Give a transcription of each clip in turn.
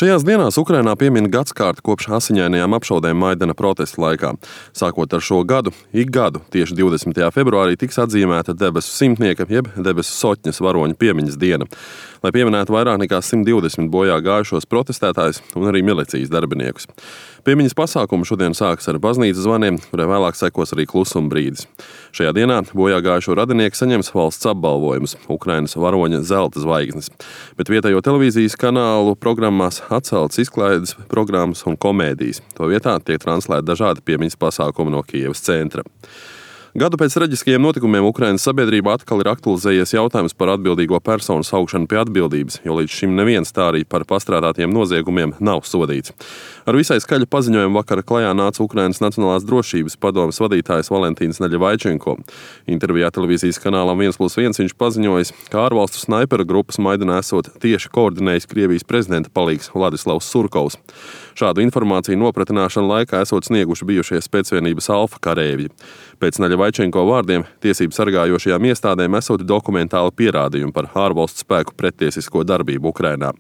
Šajās dienās Ukrainā piemin gadskārti kopš asiņainajām apšaudēm Maidana protestu laikā. Sākot ar šo gadu, ik gadu tieši 20. februārī tiks atzīmēta debesu simtnieka jeb debesu soķņas varoņa piemiņas diena, lai pieminētu vairāk nekā 120 bojā gājušos protestētājus un arī milicijas darbiniekus. Piemiņas pasākumu šodien sāks ar baznīcas zvaniem, kurai vēlāk sekos arī klusuma brīdis. Šajā dienā bojā gājušo radinieki saņems valsts apbalvojumus – Ukrainas varoņa zelta zvaigznes, bet vietējo televīzijas kanālu programmās atceltas izklaides programmas un komēdijas. To vietā tiek translēti dažādi piemiņas pasākumi no Kijevas centra. Gadu pēc traģiskajiem notikumiem Ukrainas sabiedrībā atkal ir aktualizējies jautājums par atbildīgo personu saukšanu pie atbildības, jo līdz šim neviens tā arī par pastrādātiem noziegumiem nav sodīts. Ar visai skaļu paziņojumu vakar klajā nāca Ukrainas Nacionālās drošības padomes vadītājs Valentīns Naļevaičenko. Intervijā televīzijas kanālam 1+1 viņš paziņojis, ka ārvalstu snaiperu grupas Maidanā esot tieši koordinējis Krievijas prezidenta palīgs Vladislavs Surkovs. Šādu informāciju nopratināšanu laikā esot snieguši bijušie spēcvienības alfa karēvji. Pēc Naļevaičenko vārdiem tiesību sargājošajām iestādēm esot dokumentāli pierādījumi par ārvalstu spēku prettiesisko darbību Ukrainā.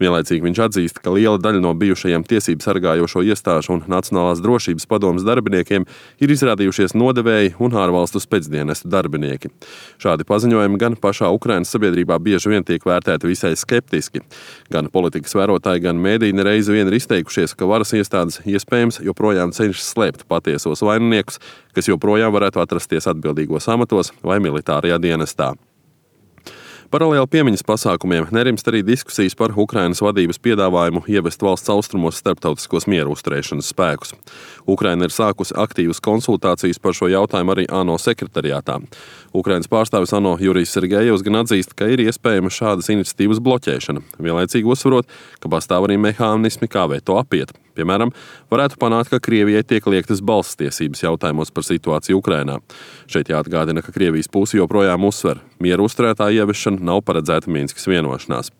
Vienlaicīgi viņš atzīst, ka liela daļa no bijušajiem tiesību sargājošo iestāžu un Nacionālās drošības padomes darbiniekiem ir izrādījušies nodevēji un ārvalstu spēcdienestu darbinieki. Šādi paziņojumi gan pašā Ukrainas sabiedrībā bieži vien tiek vērtēti visai skeptiski. Gan politikas vērotāji, gan mēdīji nereizi vien ir izteikušies, ka varas iestādes iespējams joprojām cenšas slēpt patiesos vaininiekus, kas joprojām varētu atrasties atbildīgos amatos vai militārajā dienestā. Paralēli piemiņas pasākumiem nerimst arī diskusijas par Ukrainas vadības piedāvājumu ievest valsts austrumos starptautiskos mieru uzturēšanas spēkus. Ukraina ir sākusi aktīvas konsultācijas par šo jautājumu arī ANO sekretariātā. Ukrainas pārstāvis ANO Jurijs Sergejevs gan atzīst, ka ir iespējama šādas iniciatīvas bloķēšana, vienlaicīgi uzsverot, ka pastāv arī mehānismi, kā veto apiet. Piemēram, varētu panākt, ka Krievijai tiek liektas balss tiesības jautājumos par situāciju Ukrainā. Šeit jāatgādina, ka Krievijas pusi joprojām uzsver, mieru uzturētāju ieviešana nav paredzēta Minskas vienošanās.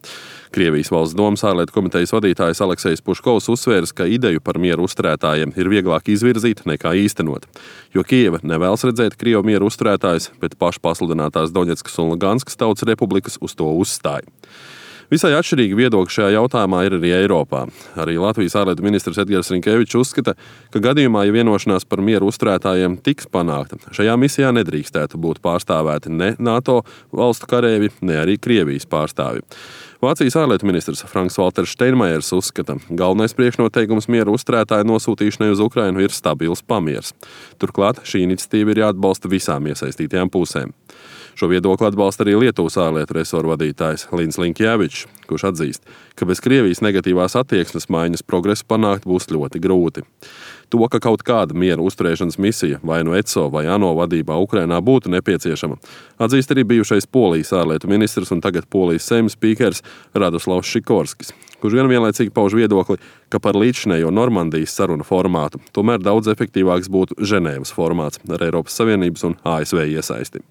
Krievijas valsts domas ārlietu komitejas vadītājs Aleksejs Puškovs uzsvērs, ka ideju par mieru uzturētājiem ir vieglāk izvirzīt nekā īstenot, jo Kijeva nevēlas redzēt Krievu mieru uzturētājus, bet pašpasludinātās Doņetskas un Luganskas tautas republikas uz to uzstāja. Visai atšķirīgi viedokļi šajā jautājumā ir arī Eiropā. Arī Latvijas ārlietu ministrs Edgars Rinkevičs uzskata, ka gadījumā, ja vienošanās par mieru uzturētājiem tiks panākta, šajā misijā nedrīkstētu būt pārstāvēti ne NATO valstu karēvi, ne arī Krievijas pārstāvi. Vācijas ārlietu ministrs Franks-Valters Steinmeiers uzskata, galvenais priekšnoteikums mieru uzturētāju nosūtīšanai uz Ukrainu ir stabils pamiers. Turklāt šī iniciatīva ir jāatbalsta visām iesaistītajām pusēm. Šo viedokli atbalsta arī Lietuvas ārlietu resoru vadītājs Lins Linkjēvičs, kurš atzīst, ka bez Krievijas negatīvās attieksmes maiņas progresu panākt būs ļoti grūti. To, ka kaut kāda miera uzturēšanas misija vai no ECO vai ANO vadībā Ukrainā būtu nepieciešama, atzīst arī bijušais Polijas ārlietu ministrs un tagad Polijas Seimas spīkers Radoslavs Šikorskis, kurš gan vienlaicīgi pauž viedokli, ka par līdzšinējo Normandijas sarunu formātu tomēr daudz efektīvāks būtu Ženēvas formāts ar Eiropas Savienības un ASV iesaisti.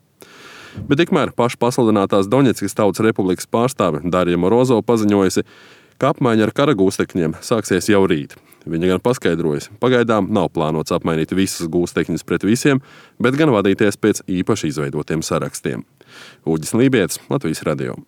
Bet tikmēr pašpasludinātās Doņetskas tautas republikas pārstāve Darja Morozova paziņojusi, ka apmaiņa ar karagūstekņiem sāksies jau rīt. Viņa gan paskaidrojusi, pagaidām nav plānots apmainīt visas gūstekņus pret visiem, bet gan vadīties pēc īpaši izveidotiem sarakstiem. Uģis Lībietis, Latvijas radio.